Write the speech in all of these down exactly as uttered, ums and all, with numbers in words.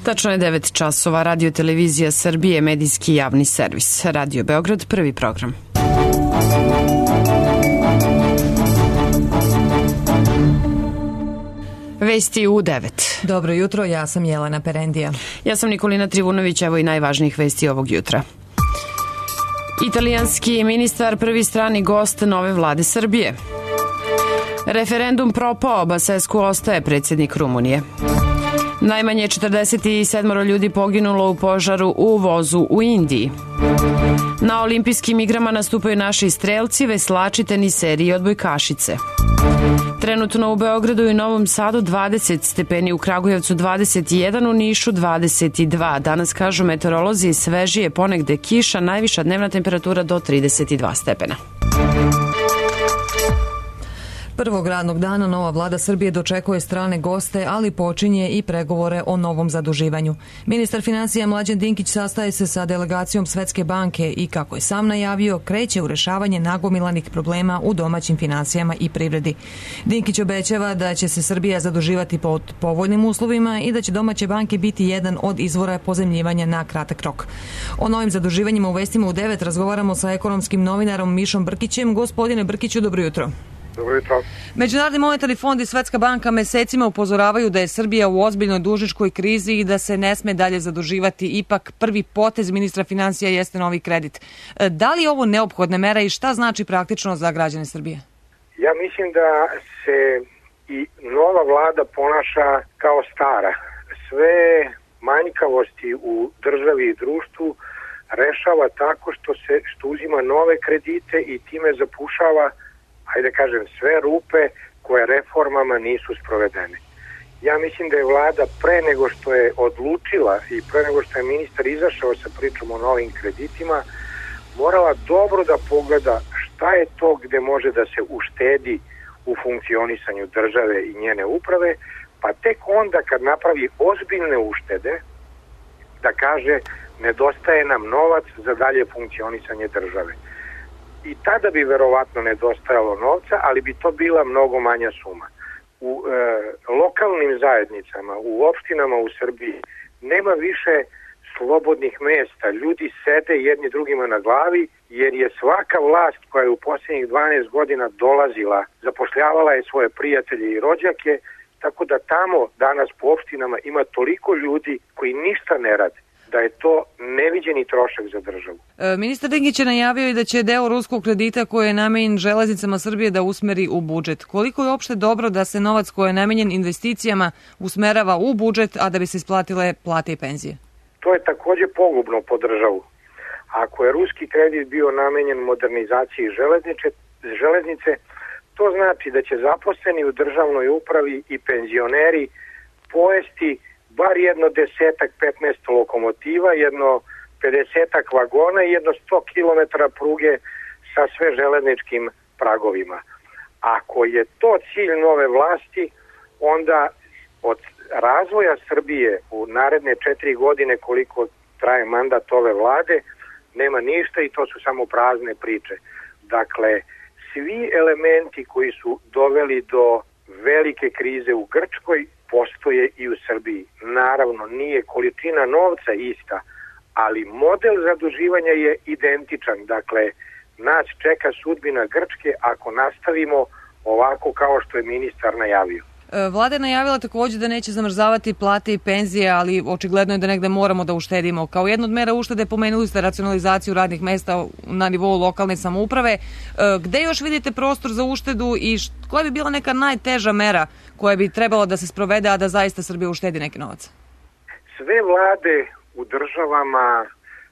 Tačno je devet časova. Radio Televizija Srbije, medijski javni servis. Radio Beograd, prvi program. Vesti u devet. Dobro jutro, ja sam Jelena Perendija. Ja sam Nikolina Trivunović, evo i najvažnijih vesti ovog jutra. Italijanski ministar, prvi strani gost nove vlade Srbije. Referendum propao, Basescu ostaje predsjednik Rumunije. Najmanje četrdeset sedam ljudi poginulo u požaru u vozu u Indiji. Na olimpijskim igrama nastupaju naši strelci, veslači, teniseri i odbojkašice. Trenutno u Beogradu i Novom Sadu dvadeset stepeni, u Kragujevcu dvadeset jedan, u Nišu dvadeset dva. Danas, kažu meteorolozi, svežije, ponegde kiša, najviša dnevna temperatura do trideset dva stepena. Prvog radnog dana nova vlada Srbije dočekuje strane goste, ali počinje i pregovore o novom zaduživanju. Ministar finansija Mlađan Dinkić sastaje se sa delegacijom Svetske banke i, kako je sam najavio, kreće u rešavanje nagomilanih problema u domaćim finansijama i privredi. Dinkić obećava da će se Srbija zaduživati pod povoljnim uslovima i da će domaće banke biti jedan od izvora pozajmljivanja na kratak rok. O novim zaduživanjima u vestima u devet razgovaramo sa ekonomskim novinarom Mišom Brkićem. Gospodine Brkiću, dobro jutro. Dobro jutro. Međunarodni monetarni fond i Svetska banka mesecima upozoravaju da je Srbija u ozbiljnoj dužničkoj krizi i da se ne sme dalje zaduživati. Ipak prvi potez ministra finansija jeste novi kredit. Da li je ovo neophodna mera i šta znači praktično za građane Srbije? Ja mislim da se i nova vlada ponaša kao stara. Sve manjkavosti u državi i društvu rešava tako što se što uzima nove kredite i time zapušava, hajde kažem, sve rupe koje reformama nisu sprovedene. Ja mislim da je vlada pre nego što je odlučila i pre nego što je ministar izašao sa pričom o novim kreditima, morala dobro da pogleda šta je to gde može da se uštedi u funkcionisanju države i njene uprave, pa tek onda kad napravi ozbiljne uštede, da kaže nedostaje nam novac za dalje funkcionisanje države. I tada bi verovatno nedostajalo novca, ali bi to bila mnogo manja suma. U e, lokalnim zajednicama, u opštinama u Srbiji nema više slobodnih mesta. Ljudi sede jedni drugima na glavi, jer je svaka vlast koja je u posljednjih dvanaest godina dolazila, zapošljavala je svoje prijatelje i rođake, tako da tamo danas po opštinama ima toliko ljudi koji ništa ne rade, da je to neviđeni trošak za državu. E, ministar Dinkić je najavio i da će deo ruskog kredita koji je namenjen železnicama Srbije da usmeri u budžet. Koliko je uopšte dobro da se novac koji je namenjen investicijama usmerava u budžet, a da bi se isplatile plate i penzije? To je takođe pogubno po državu. Ako je ruski kredit bio namenjen modernizaciji železnice, železnice, to znači da će zaposleni u državnoj upravi i penzioneri pojesti bar jedno desetak, petnaest lokomotiva, jedno pedesetak vagona i jedno sto kilometara pruge sa sve železničkim pragovima. Ako je to cilj nove vlasti, onda od razvoja Srbije u naredne četiri godine, koliko traje mandat ove vlade, nema ništa i to su samo prazne priče. Dakle, svi elementi koji su doveli do velike krize u Grčkoj postoje i u Srbiji. Naravno, nije količina novca ista, ali model zaduživanja je identičan. Dakle, nas čeka sudbina Grčke ako nastavimo ovako kao što je ministar najavio. Vlada je najavila također da neće zamrzavati plate i penzije, ali očigledno je da negde moramo da uštedimo. Kao jednu od mera uštede pomenuli ste racionalizaciju radnih mesta na nivou lokalne samouprave. Gde još vidite prostor za uštedu i koja bi bila neka najteža mera koja bi trebala da se sprovede, a da zaista Srbija uštedi neki novac? Sve vlade u državama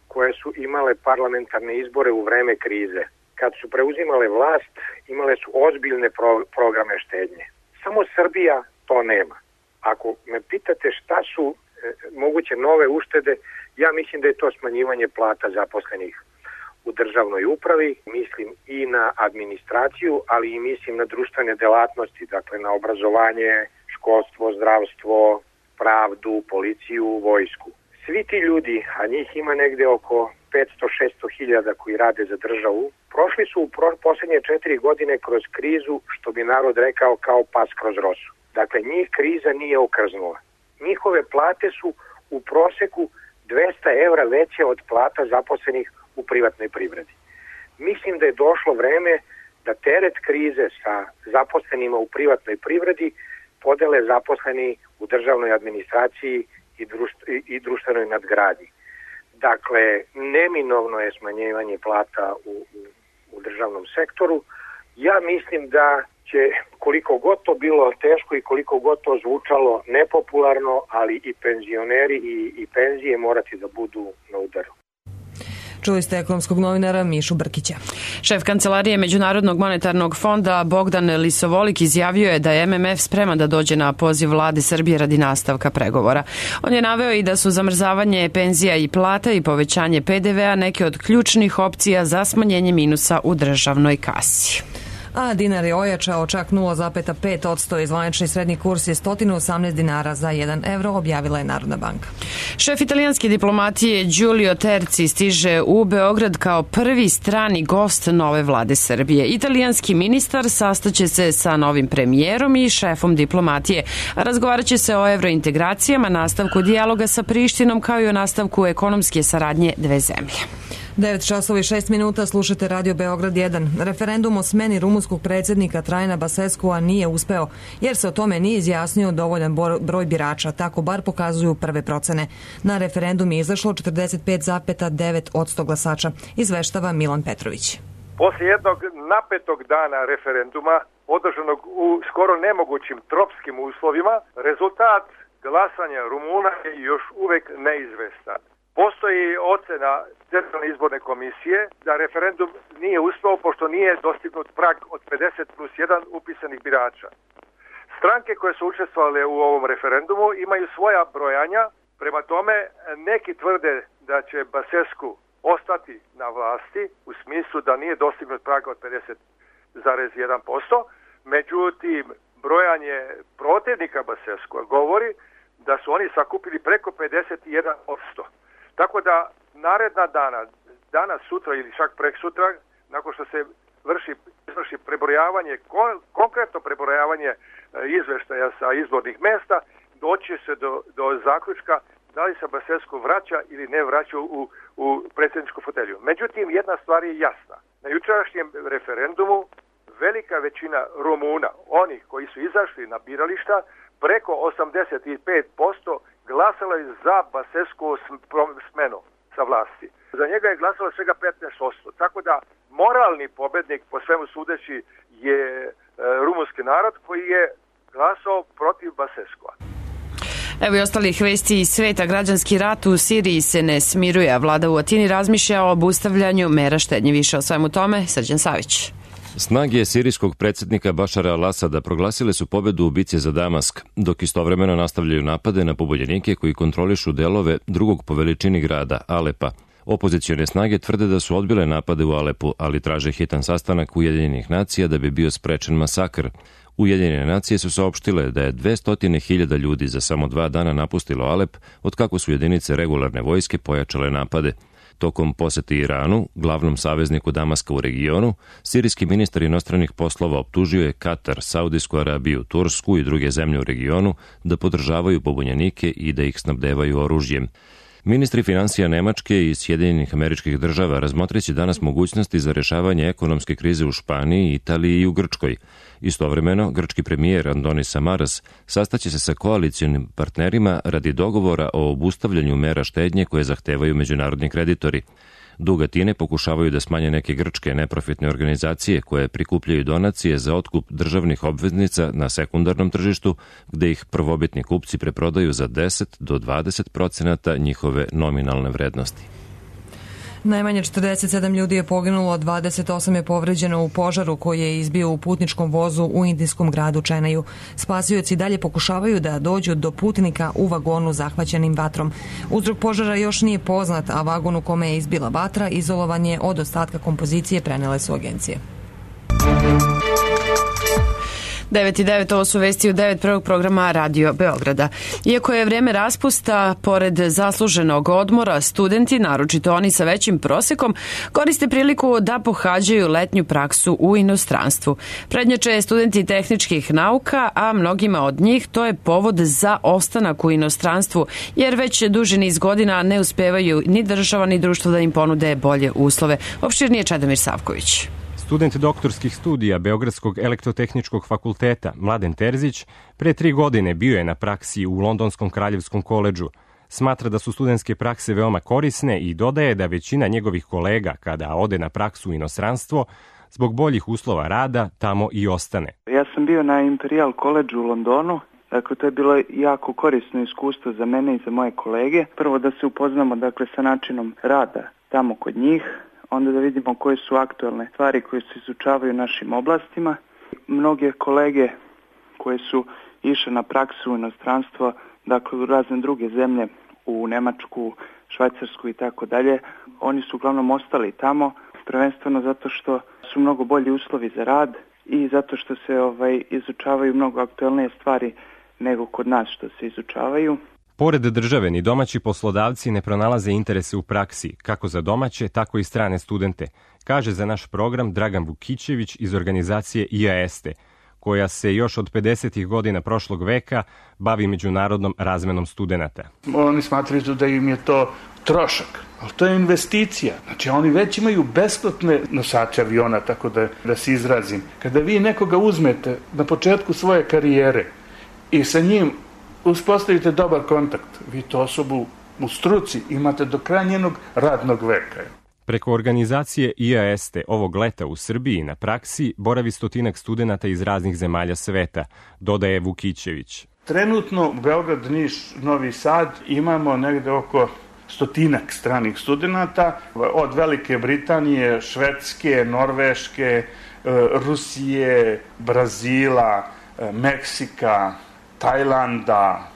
koje su imale parlamentarne izbore u vreme krize, kad su preuzimale vlast, imale su ozbiljne pro- programe štednje. Samo Srbija to nema. Ako me pitate šta su e, moguće nove uštede, ja mislim da je to smanjivanje plata zaposlenih u državnoj upravi, mislim i na administraciju, ali i mislim na društvene delatnosti, dakle na obrazovanje, školstvo, zdravstvo, pravdu, policiju, vojsku. Svi ti ljudi, a njih ima negde oko petsto do šesto hiljada koji rade za državu, prošli su u pro- posljednje četiri godine kroz krizu, što bi narod rekao, kao pas kroz rosu. Dakle, njih kriza nije okrznula. Njihove plate su u proseku dvesta evra veće od plata zaposlenih u privatnoj privredi. Mislim da je došlo vreme da teret krize sa zaposlenima u privatnoj privredi podele zaposleni u državnoj administraciji i, društv, i društvenoj nadgradnji. Dakle, neminovno je smanjivanje plata u, u, u državnom sektoru. Ja mislim da će, koliko god to bilo teško i koliko god to zvučalo nepopularno, ali i penzioneri i, i penzije morati da budu na udaru. Čuli ste ekonomskog novinara Mišu Brkića. Šef Kancelarije Međunarodnog monetarnog fonda Bogdan Lisovolik izjavio je da je M M F spreman da dođe na poziv vlade Srbije radi nastavka pregovora. On je naveo i da su zamrzavanje penzija i plata i povećanje P D V-a neke od ključnih opcija za smanjenje minusa u državnoj kasi. A dinar je ojačao čak nula zarez pet posto i zvanični srednji kurs je sto osamnaest dinara za jedan evro, objavila je Narodna banka. Šef italijanske diplomatije Giulio Terzi stiže u Beograd kao prvi strani gost nove vlade Srbije. Italijanski ministar sastaće se sa novim premijerom i šefom diplomatije. Razgovarat će se o evrointegracijama, nastavku dijaloga sa Prištinom kao i o nastavku ekonomske saradnje dve zemlje. devet časova i šest minuta, slušate Radio Beograd jedan. Referendum o smeni rumunskog predsjednika Trajana Baseskua nije uspeo, jer se o tome nije izjasnio dovoljan broj birača, tako bar pokazuju prve procene. Na referendum je izašlo četrdeset pet zarez devet posto glasača, izveštava Milan Petrović. Poslije jednog napetog dana referenduma, održanog u skoro nemogućim tropskim uslovima, rezultat glasanja Rumuna je još uvek neizvestan. Postoji ocena Centralne izborne komisije da referendum nije uspeo pošto nije dostignut prag od pedeset plus jedan upisanih birača. Stranke koje su učestvovale u ovom referendumu imaju svoja brojanja, prema tome neki tvrde da će Basescu ostati na vlasti u smislu da nije dostignut prag od pedeset zarez jedan posto, međutim brojanje protivnika Basescua govori da su oni sakupili preko pedeset jedan posto. Tako da naredna dana, danas, sutra ili čak prek sutra, nakon što se vrši, vrši prebrojavanje, kon, konkretno prebrojavanje e, izveštaja sa izbornih mesta, doći se do, do zaključka da li se Basescu vraća ili ne vraća u, u predsjedničku fotelju. Međutim, jedna stvar je jasna. Na jučerašnjem referendumu velika većina Rumuna, onih koji su izašli na birališta, preko osamdeset pet posto glasalo je za Basescu smenu sa vlasti. Za njega je glasalo svega petnaest posto. Tako da moralni pobednik, po svemu sudeći, je e, rumunski narod koji je glasao protiv Basescua. Evo i ostalih vesti iz sveta. Građanski rat u Siriji se ne smiruje, a vlada u Atini razmišlja o obustavljanju mera štednje. Više o svemu tome, Srđan Savić. Snage sirijskog predsjednika Bašara al-Asada proglasile su pobedu u bici za Damask, dok istovremeno nastavljaju napade na pobunjenike koji kontrolišu delove drugog po veličini grada, Alepa. Opozicione snage tvrde da su odbile napade u Alepu, ali traže hitan sastanak Ujedinjenih nacija da bi bio sprečen masakr. Ujedinjene nacije su saopštile da je dvesta hiljada ljudi za samo dva dana napustilo Alep, otkako su jedinice regularne vojske pojačale napade. Tokom posete Iranu, glavnom savezniku Damaska u regionu, sirijski ministar inostranih poslova optužio je Katar, Saudijsku Arabiju, Tursku i druge zemlje u regionu da podržavaju pobunjenike i da ih snabdevaju oružjem. Ministri finansija Nemačke i Sjedinjenih Američkih Država razmotriće danas mogućnosti za rešavanje ekonomske krize u Španiji, Italiji i u Grčkoj. Istovremeno, grčki premijer Andonis Samaras sastaće se sa koalicijonim partnerima radi dogovora o obustavljanju mera štednje koje zahtevaju međunarodni kreditori. Dug Atine pokušavaju da smanje neke grčke neprofitne organizacije koje prikupljaju donacije za otkup državnih obveznica na sekundarnom tržištu, gde ih prvobitni kupci preprodaju za deset do dvadeset procenata njihove nominalne vrednosti. Najmanje četrdeset sedam ljudi je poginulo, dvadeset osam je povređeno u požaru koji je izbio u putničkom vozu u indijskom gradu Čenaju. Spasioci dalje pokušavaju da dođu do putnika u vagonu zahvaćenim vatrom. Uzrok požara još nije poznat, a vagon u kome je izbila vatra izolovan je od ostatka kompozicije, prenele su agencije. devet i devet, ovo su vesti u devet prvog programa Radio Beograda. Iako je vreme raspusta, pored zasluženog odmora, studenti, naročito oni sa većim prosekom, koriste priliku da pohađaju letnju praksu u inostranstvu. Prednjače studenti tehničkih nauka, a mnogima od njih to je povod za ostanak u inostranstvu, jer već duži niz godina ne uspevaju ni država ni društvo da im ponude bolje uslove. Opširnije Čedomir Savković. Student doktorskih studija Beogradskog elektrotehničkog fakulteta Mladen Terzić pre tri godine bio je na praksi u Londonskom kraljevskom koledžu. Smatra da su studentske prakse veoma korisne i dodaje da većina njegovih kolega kada ode na praksu u inostranstvo, zbog boljih uslova rada, tamo i ostane. Ja sam bio na Imperial College u Londonu. Dakle, to je bilo jako korisno iskustvo za mene i za moje kolege. Prvo da se upoznamo dakle, sa načinom rada tamo kod njih, onda da vidimo koje su aktualne stvari koje se izučavaju u našim oblastima. Mnoge kolege koje su išle na praksu u inostranstvo, dakle u razne druge zemlje, u Nemačku, Švajcarsku i tako dalje, oni su uglavnom ostali tamo, prvenstveno zato što su mnogo bolji uslovi za rad i zato što se ovaj, izučavaju mnogo aktualnije stvari nego kod nas što se izučavaju. Pored države, ni domaći poslodavci ne pronalaze interese u praksi, kako za domaće, tako i strane studente, kaže za naš program Dragan Vukićević iz organizacije I A ESTE, koja se još od pedesetih godina prošlog veka bavi međunarodnom razmenom studenata. Oni smatraju da im je to trošak, ali to je investicija. Znači oni već imaju besplatne nosače aviona, tako da, da se izrazim. Kada vi nekoga uzmete na početku svoje karijere i sa njim uspostavite dobar kontakt, vi to osobu u struci imate do kraja njenog radnog veka. Preko organizacije I A ESTE ovog leta u Srbiji na praksi boravi stotinak studenata iz raznih zemalja sveta, dodaje Vukićević. Trenutno Beograd, Niš, Novi Sad imamo negde oko stotinak stranih studenata od Velike Britanije, Švedske, Norveške, Rusije, Brazila, Meksika, Tajlanda,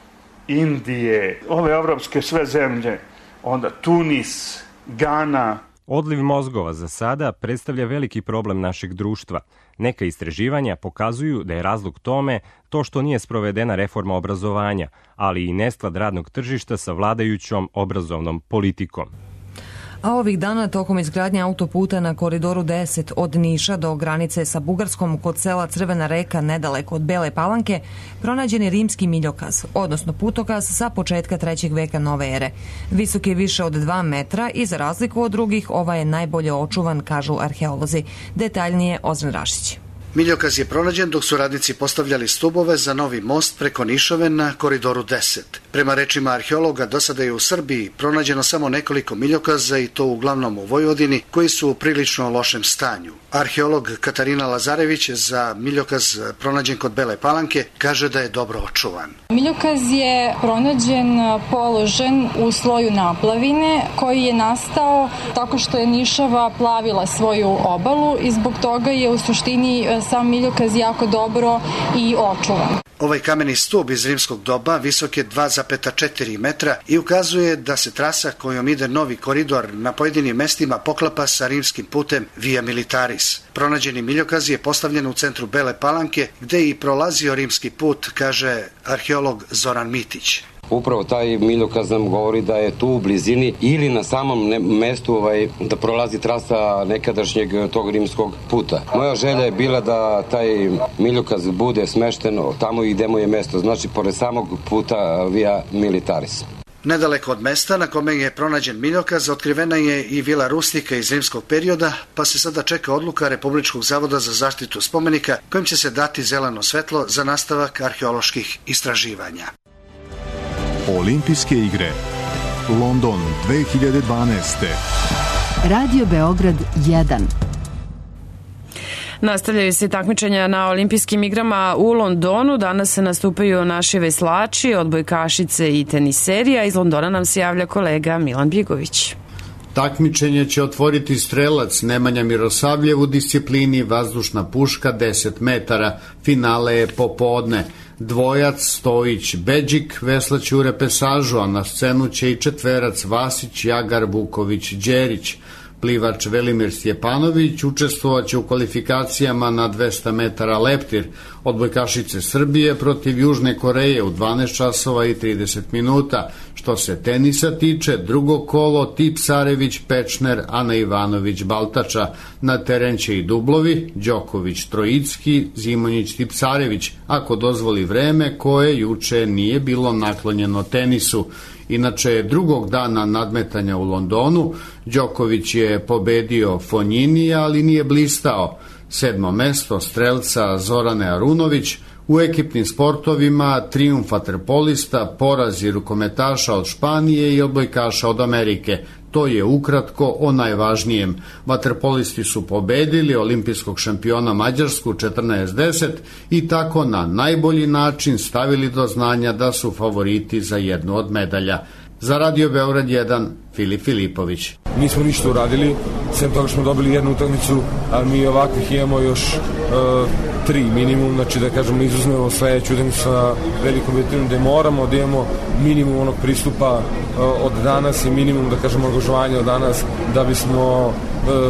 Indije, ove evropske sve zemlje, onda Tunis, Gana. Odliv mozgova za sada predstavlja veliki problem našeg društva. Neka istraživanja pokazuju da je razlog tome to što nije sprovedena reforma obrazovanja, ali i nesklad radnog tržišta sa vladajućom obrazovnom politikom. A ovih dana tokom izgradnje autoputa na koridoru deset od Niša do granice sa Bugarskom kod sela Crvena reka nedaleko od Bele Palanke pronađen je rimski miljokaz, odnosno putokaz sa početka trećeg veka nove ere. Visok je više od dva metra i za razliku od drugih ovaj je najbolje očuvan, kažu arheolozi. Detaljnije Ozren Rašić. Miljokaz je pronađen dok su radnici postavljali stubove za novi most preko Nišove na koridoru deset. Prema rečima arheologa, do sada je u Srbiji pronađeno samo nekoliko miljokaza i to uglavnom u Vojvodini, koji su u prilično lošem stanju. Arheolog Katarina Lazarević za miljokaz pronađen kod Bele Palanke kaže da je dobro očuvan. Miljokaz je pronađen položen u sloju naplavine koji je nastao tako što je Nišava plavila svoju obalu i zbog toga je u suštini sam miljokaz jako dobro i očuvan. Ovaj kameni stub iz rimskog doba visok je dva zarez četiri metra i ukazuje da se trasa kojom ide novi koridor na pojedinim mestima poklapa sa rimskim putem Via Militaris. Pronađeni miljokaz je postavljen u centru Bele Palanke, gde i prolazio rimski put, kaže arheolog Zoran Mitić. Upravo taj miljokaz nam govori da je tu u blizini ili na samom mestu ovaj, da prolazi trasa nekadašnjeg tog rimskog puta. Moja želja je bila da taj miljokaz bude smešten tamo i gde mu je mesto, znači pored samog puta Via Militaris. Nedaleko od mesta na kome je pronađen miljokaz otkrivena je i vila Rustika iz rimskog perioda, pa se sada čeka odluka Republičkog zavoda za zaštitu spomenika kojim će se dati zeleno svetlo za nastavak arheoloških istraživanja. Olimpijske igre London dve hiljade dvanaeste. Radio Beograd jedan. Nastavljaju se takmičenja na olimpijskim igrama u Londonu. Danas se nastupaju naši veslači, odbojkašice i teniserija. Iz Londona nam se javlja kolega Milan Bjegović. Takmičenje će otvoriti strelac Nemanja Mirosavljev u disciplini vazdušna puška deset metara. Finale je popodne. Dvojac Stojić Beđik veslać u repesažu, a na scenu će i četverac Vasić, Jagar, Vuković, Đerić. Plivač Velimir Stjepanović učestvovaće u kvalifikacijama na dvesta metara leptir. Odbojkašice Srbije protiv Južne Koreje u dvanaest časova i trideset minuta. Što se tenisa tiče, drugo kolo Tipsarević, Pečner, Ana Ivanović, Baltača. Na teren će i dublovi, Đoković, Trojicki, Zimonjić, Tipsarević, ako dozvoli vreme koje juče nije bilo naklonjeno tenisu. Inače, drugog dana nadmetanja u Londonu, Đoković je pobedio Fonjinija, ali nije blistao. Sedmo mesto strelca Zorane Arunović. U ekipnim sportovima trijumf vaterpolista, porazi rukometaša od Španije i odbojkaša od Amerike. To je ukratko o najvažnijem. Vaterpolisti su pobedili olimpijskog šampiona Mađarsku četrnaest deset i tako na najbolji način stavili do znanja da su favoriti za jednu od medalja. Za Radio Beograd jedan, Filip Filipović. Nismo ništa uradili, sem toga smo dobili jednu utakmicu, ali mi ovakvih imamo još e, tri minimum, znači da kažemo izuzmemo sledeću utakmicu sa velikom vetrinom gde moramo da imamo minimum onog pristupa e, od danas i minimum da kažemo angažovanja od danas da bismo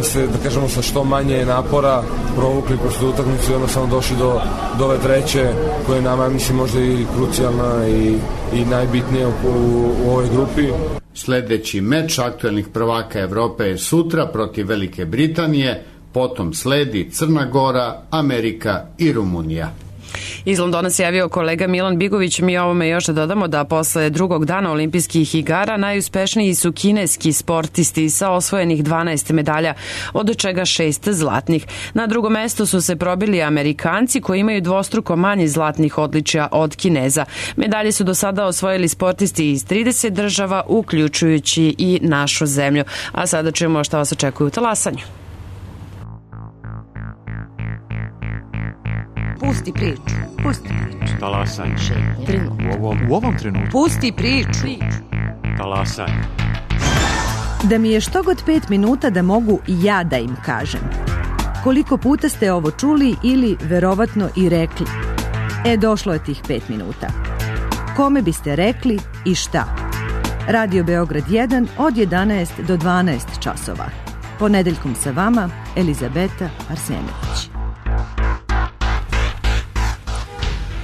e, se da kažemo sa što manje napora provukli kroz tu utakmicu i onda samo došli do, do ove treće koja je nama mislim možda i krucijalna i, i najbitnija u, u, u ovoj grupi. Sledeći meč aktuelnih prvaka Evrope je sutra protiv Velike Britanije, potom sledi Crna Gora, Amerika i Rumunija. Iz Londona se javio kolega Milan Bigović. Mi ovome još da dodamo da posle drugog dana olimpijskih igara najuspešniji su kineski sportisti sa osvojenih dvanaest medalja, od čega šest zlatnih. Na drugom mestu su se probili Amerikanci koji imaju dvostruko manje zlatnih odličja od Kineza. Medalje su do sada osvojili sportisti iz trideset država, uključujući i našu zemlju. A sada čujemo šta vas očekuje u talasanju. Pusti priču. Pusti priču. Talasanje. U ovom, u ovom trenutku. Pusti priču. Talasanje. Da mi je što god pet minuta da mogu ja da im kažem. Koliko puta ste ovo čuli ili verovatno i rekli? E, došlo je tih pet minuta. Kome biste rekli i šta? Radio Beograd jedan od jedanaest do dvanaest časova. Ponedeljkom sa vama, Elizabeta Arsenović.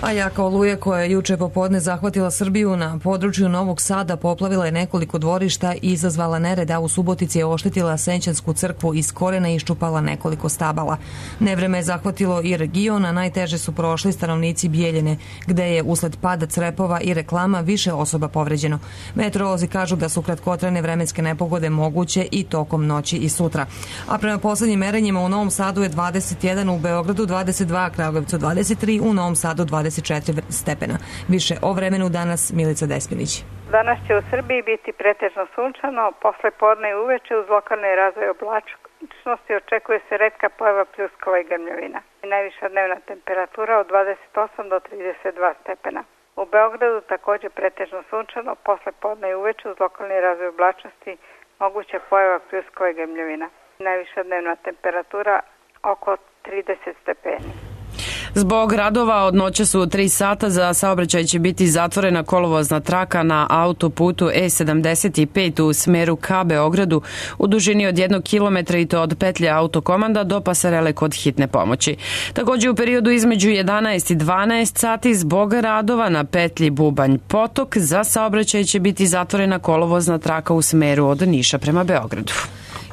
A jaka oluja koja je juče popodne zahvatila Srbiju na području Novog Sada poplavila je nekoliko dvorišta i izazvala nered, a u Subotici je oštetila Senćansku crkvu iz korena i iščupala nekoliko stabala. Nevreme je zahvatilo i region, a najteže su prošli stanovnici Bijeljine, gde je usled pada crepova i reklama više osoba povređeno. Meteorolozi kažu da su kratkotrajne vremenske nepogode moguće i tokom noći i sutra. A prema poslednjim merenjima u Novom Sadu je dvadeset jedan, u Beogradu dvadeset dva, Kragujevcu dvadeset tri, u Novom Sadu dvadeset četiri stepena. Više o vremenu danas Milica Despinić. Danas će u Srbiji biti pretežno sunčano, posle podne i uveče uz lokalni razvoj oblačnosti očekuje se retka pojava pljuskova i grmljavina. Najviša dnevna temperatura od dvadeset osam do trideset dva stepena. U Beogradu takođe pretežno sunčano, posle podne i uveče uz lokalni razvoj oblačnosti moguća pojava pljuskova i grmljavina. Najviša dnevna temperatura oko trideset stepeni. Zbog radova od noća su tri sata za saobraćaj će biti zatvorena kolovozna traka na autoputu E sedamdeset pet u smeru ka Beogradu u dužini od jednog kilometra i to od petlje Autokomanda do pasarele kod hitne pomoći. Takođe u periodu između jedanaest i dvanaest sati zbog radova na petlji Bubanj Potok za saobraćaj će biti zatvorena kolovozna traka u smeru od Niša prema Beogradu.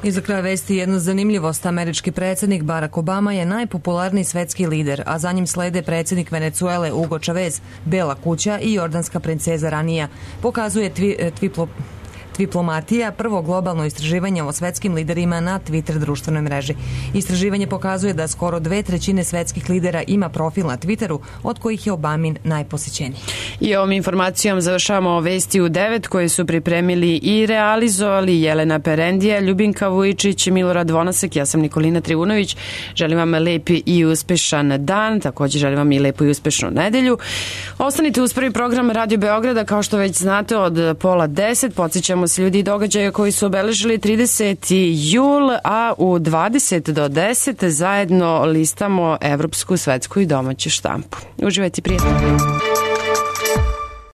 I za kraj vesti jedna zanimljivost. Američki predsjednik Barack Obama je najpopularniji svetski lider, a za njim slede predsjednik Venecuele Hugo Chavez, Bela kuća i jordanska princeza Ranija. Pokazuje tvi, tviplo, Twiplomatija, prvo globalno istraživanje o svetskim liderima na Twitter društvenoj mreži. Istraživanje pokazuje da skoro dve trećine svetskih lidera ima profil na Twitteru, od kojih je Obamin najposećeniji. I ovom informacijom završavamo vesti u devet koje su pripremili i realizovali Jelena Perendija, Ljubinka Vujičić, Milorad Vonasek, ja sam Nikolina Trivunović. Želim vam lepi i uspešan dan, također želim vam i lepu i uspešnu nedelju. Ostanite uz prvi program Radio Beograda, kao što već znate, od pola deset. Podsjećamo se ljudi i događaja koji su obeležili trideseti jul, a u dvadeset do deset zajedno listamo evropsku, svetsku i domaću štampu. Uživajte, prijatno.